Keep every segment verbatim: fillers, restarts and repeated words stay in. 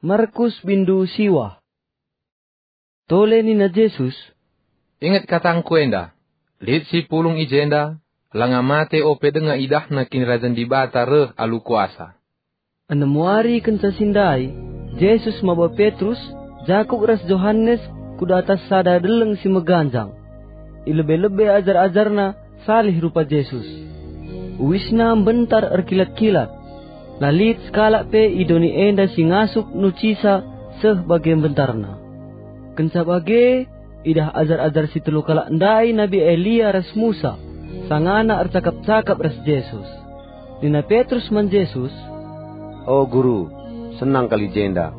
Markus bindu siwah. Tole nina Jesus, "Inget katangKu enda, lit si pulung i jenda, langa mate ope denga idahna Kinirajan Dibata reh alu kuasa." Enem wari kenca si ndai, Jesus maba Petrus, Jakup ras Johanes ku datas sada deleng si meganjang. I lebe-lebe ajar-ajarna salih rupa Jesus. Uisna mbentar erkilat-kilat. La lit sekalak pe i doni enda si ngasup nucisa seh bage mbentarna. Kenca bage, idah ajar-ajar si telu kalak ndai Nabi Elia ras Musa, sangana ercakap-cakap ras Jesus. Nina Petrus man Jesus, "O Guru, senang kal i jenda.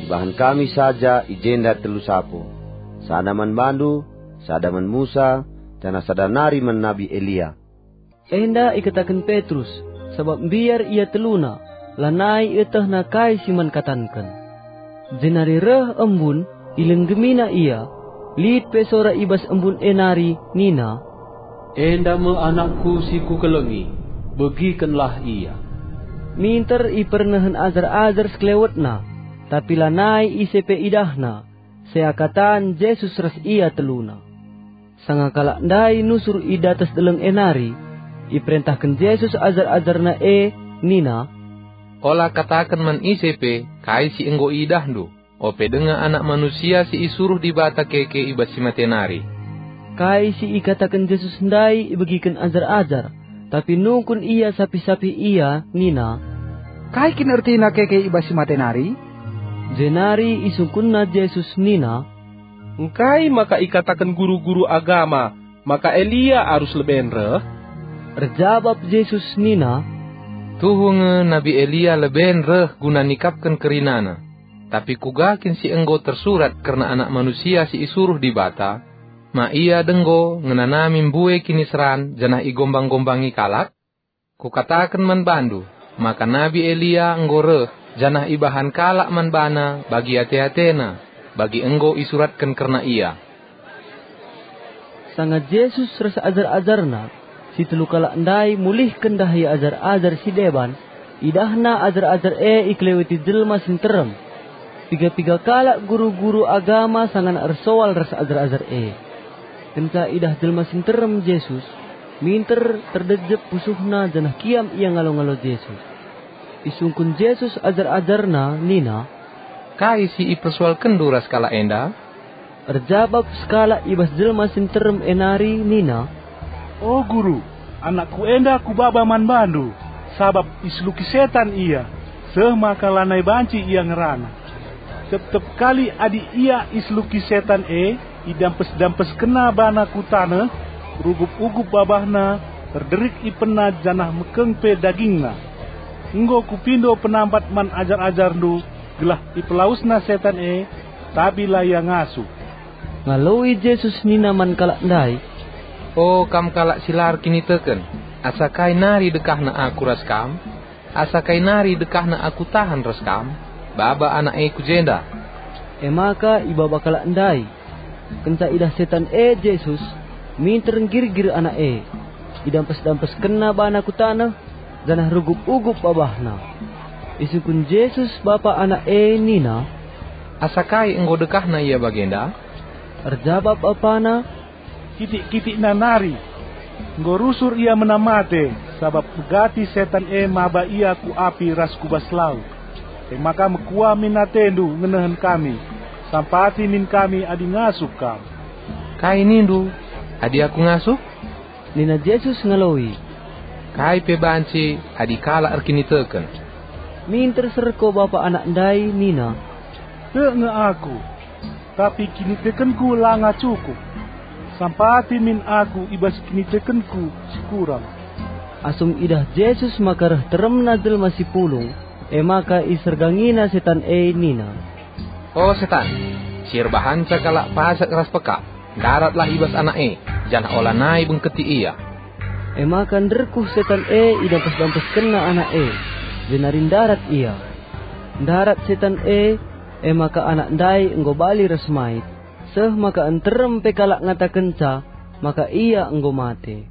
Ibahan kami saja i jenda telu sapo, sada man bandu, sada man Musa, janah sada nari man Nabi Elia." Enda ikataken Petrus, sabap mbiar ia teluna, lanai ietehna kai si man katanken. Jenari reh embun, ilenggemina ia. Lit pe sora i bas embun e nari nina, "Enda me anakku si kukelengi, begikenlah ia." Minter ipernehen ajar-ajar sekelewetna, tapi lanai ise pe idahna, seakatan Jesus ras ia teluna. Sanga kalak ndai nusur i datas deleng e nari, iperentahken Jesus ajar-ajarNa e nina, "Ola kataken man ise pe kai si enggo iidahndu, ope denga Anak Manusia si isuruh Dibata keke i bas si mate nari." Kai si ikataken Jesus ndai ibegiken ajar-ajar, tapi nungkun ia sapih-sapih ia nina, "Kai kin ertina keke i bas si mate nari?" Jenari isungkunna Jesus nina, "Engkai maka ikataken guru-guru agama maka Elia arus leben reh?" Erjabap Jesus nina, "Tuhu nge nabi Elia leben reh guna nikapken kerinana. Tapi kuga kin si enggo tersurat kerna Anak Manusia si isuruh Dibata? Ma ia denggo ngenanami mbue kiniseran janah igombang-gombangi kalak? Kukataken man bandu, maka nabi Elia enggo reh, janah ibahan kalak man bana bagi ate-atena, bagi enggo isuratken kerna ia." Sanga Jesus ras ajar-ajarNa, si telu kalak ndai mulihken dahi ajar-ajar si deban, idahna ajar-ajar e ikeleweti jelma si nterem. Piga-piga kalak guru-guru agama sangana ersoal ras ajar-ajar e. Kenca idah jelma si nterem Jesus, minter terdejep pusuhna janah kiam ia ngalo-ngalo Jesus. Isungkun Jesus ajar-ajarNa nina, "Kai si ipersoalkenndu ras kalak enda?" Erjabap sekalak i bas jelma si nterem e nari nina, "O Guru, anakku enda kubaba man bandu, sabap iseluki setan ia, seh maka lanai banci ia ngerana. Tep-tep kali adi ia iseluki setan e, idampes-dampeskenna bana ku taneh, rugup-ugup babahna, erderik ipenna janah mekeng pe dagingna. Enggo kupindo penampat man ajar-ajarndu, gelah ipelawesna setan e, tapi la ia ngasup." Ngaloi Jesus nina man kalak ndai, "O kam kalak si la erkiniteken, asa kai nari dekahna Aku ras kam? Asa kai nari dekahna Aku tahan ras kam? Baba anak e ku jenda." E maka ibaba kalak ndai. Kenca idah setan e Jesus, minter nggirgir anak e. Idampes-dampeskenna bana ku taneh, janah rugup-ugup babahna. Isungkun Jesus bapa anak e nina, "Asa kai enggo dekahna ia bagenda?" Erjabap bapana, "Kitik-kitikna nari. Enggo rusur ia menam mate, sabap megati setan e maba ia ku api ras ku bas lau. E maka mekuah min atendu ngenehen kami, sampati min kami adi ngasup kam." "Kai nindu, adi Aku ngasup?" nina Jesus ngaloi. "Kai pe banci adi kalak erkiniteken." Minter serko bapa anak ndai nina, "Tek nge aku, tapi kinitekenku langa cukup. Sampati min aku i bas kinitekenku si kurang." Asum idah Jesus maka reh teremna jelma si pulung, e maka isergangina setan e nina, "O setan, si erbahanca kalak pasek ras pekak, ndaratlah i bas anak e, janah olanai bengketi ia." E maka nderkuh setan e idampes-dampeskenna anak e, jenari ndarat ia. Ndarat setan e, e maka anak ndai enggo bali ras mait, seh maka nterem pe kalak ngatakenca maka ia enggo mate.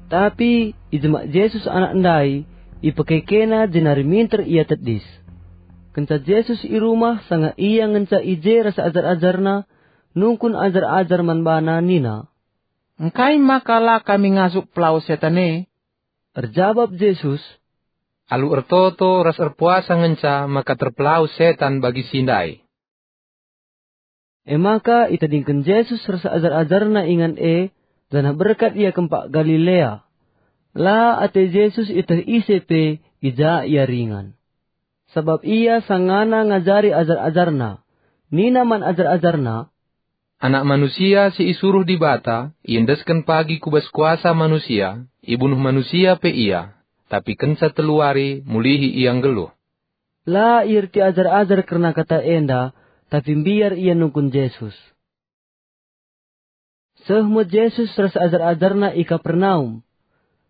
Tapi ijemak Jesus anak ndai, ipekekena jenari minter ia tedis. Kenca Jesus i rumah, sanga ia ngenca i je ras ajar-ajarNa, nungkun ajar-ajar man baNa nina, "Engkai maka la kami ngasup pelawes setan e?" Erjabap Jesus, "Alu ertoto ras erpuasa ngenca maka terpelawes setan bagi si ndai." E maka itadingken Jesus ras ajar-ajarNa ingan e, janah berkat ia kempak Galilea. La ate Jesus ieteh ise pe i ja ia ringan. Sabap ia sangana ngajari ajar-ajarNa. Nina man ajar-ajarNa, "Anak Manusia si isuruh Dibata iendesken pagi ku bas kuasa manusia, ibunuh manusia pe ia, tapi kenca telu wari mulihi ia nggeluh." La ierti ajar-ajar kerna kata enda, tapi mbiar ia nungkun Jesus. Seh me Jesus ras ajar-ajarNa i Kapernaum.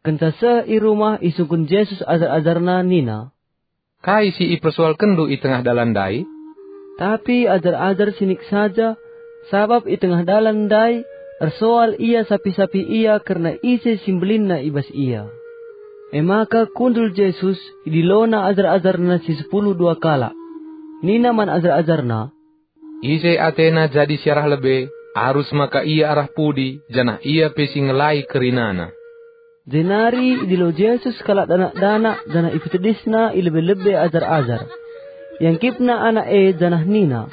Kenca seh i rumah, isungkun Jesus ajar-ajarNa nina, "Kai si ipersoalkenndu i tengah dalan ndai?" Tapi ajar-ajar sinik saja, sabap i tengah dalan ndai ersoal ia sapih-sapih ia kerna ise si mbelinna i bas ia. E maka kundul Jesus, idilona ajar-ajarNa si sepuluh dua kalak. Nina man ajar-ajarNa, "Ise atena jadi si arah lebe, arus maka ia arah pudi, janah ia pe si ngelai kerinana." Jenari idilo Jesus kalak danak-danak janah ipetedisna i lebe-lebe ajar-ajar. Iangkipna anak e janah nina,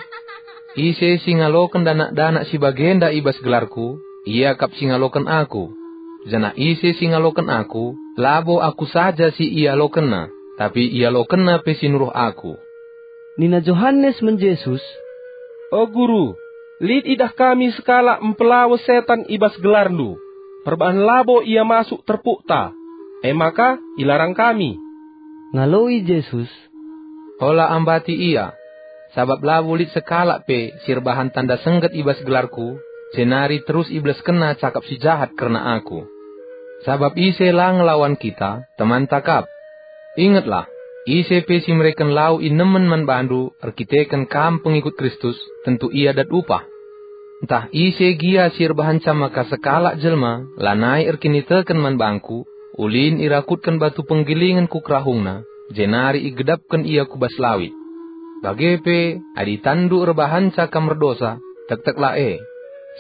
"Ise si ngaloken danak-danak si bagenda i bas gelarKu, ia kap si ngaloken Aku. Janah ise si ngaloken Aku, labo Aku saja si ialokenna, tapi ialokenna pe si nuruh Aku." Nina Johanes man Jesus, "O Guru, lit idah kami sekalak mpelawes setan i bas gelarNdu, perbahan labo ia masuk terpukta, e maka ilarang kami." Ngaloi Jesus, "Ola ambati ia, sabap labo lit sekalak pe si erbahan tanda sengget i bas gelarKu, jenari terus ibeleskenna cakap si jahat kerna Aku. Sabap ise la ngelawan kita, temanta kap. Ingetlah, ise pe si mereken lau inemen man bandu erkiteken kam pengikut Kristus, tentu ia dat upah. Ntah ise gia si erbahanca maka sekalak jelma lanai erkiniteken man bangKu, ulin irakutken batu penggilingen ku kerahungna, jenari igedapken ia ku bas lawit. Bage pe, adi tanndu erbahanca kam erdosa, tekteklah e,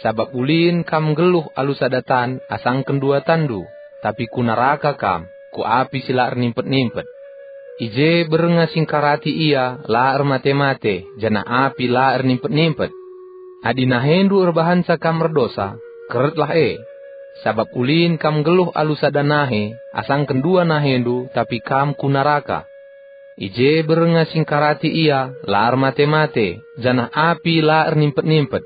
sabap ulin kam nggeluh alu sada tan asangken dua tanndu, tapi ku naraka kam, ku api si la ernimpet-nimpet. I je bernga singkarati ia la ermate-mate, janah api la ernimpet-nimpet. Adi nahendu erbahanca kam erdosa, keretlah e, sabap ulin kam nggeluh alu sada nahe, asangken dua nahendu, tapi kam ku naraka. I je bernga singkarati ia la ermate-mate, janah api la ernimpet-nimpet.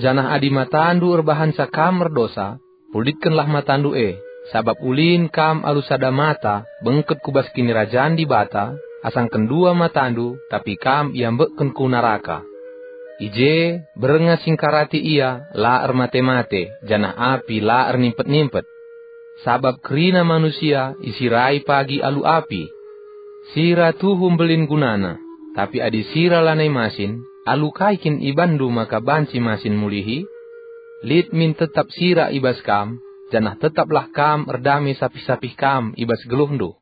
Janah adi matandu erbahanca kam erdosa, pulitkenlah matandu e, sabap ulin kam alu sada mata bengket ku bas Kinirajan Dibata, asangken dua matandu, tapi kam iambekken ku naraka. I je bernga singkarati ia la ermate-mate, janah api la ernimpet-nimpet. Sabap kerina manusia isirai pagi alu api. Sira tuhu mbelin gunana, tapi adi sira lanai masin, alu kai kin ibanndu maka banci masin mulihi? Lit min tetap sira i bas kam, janah tetaplah kam erdame sapih-sapih kam i bas geluhndu.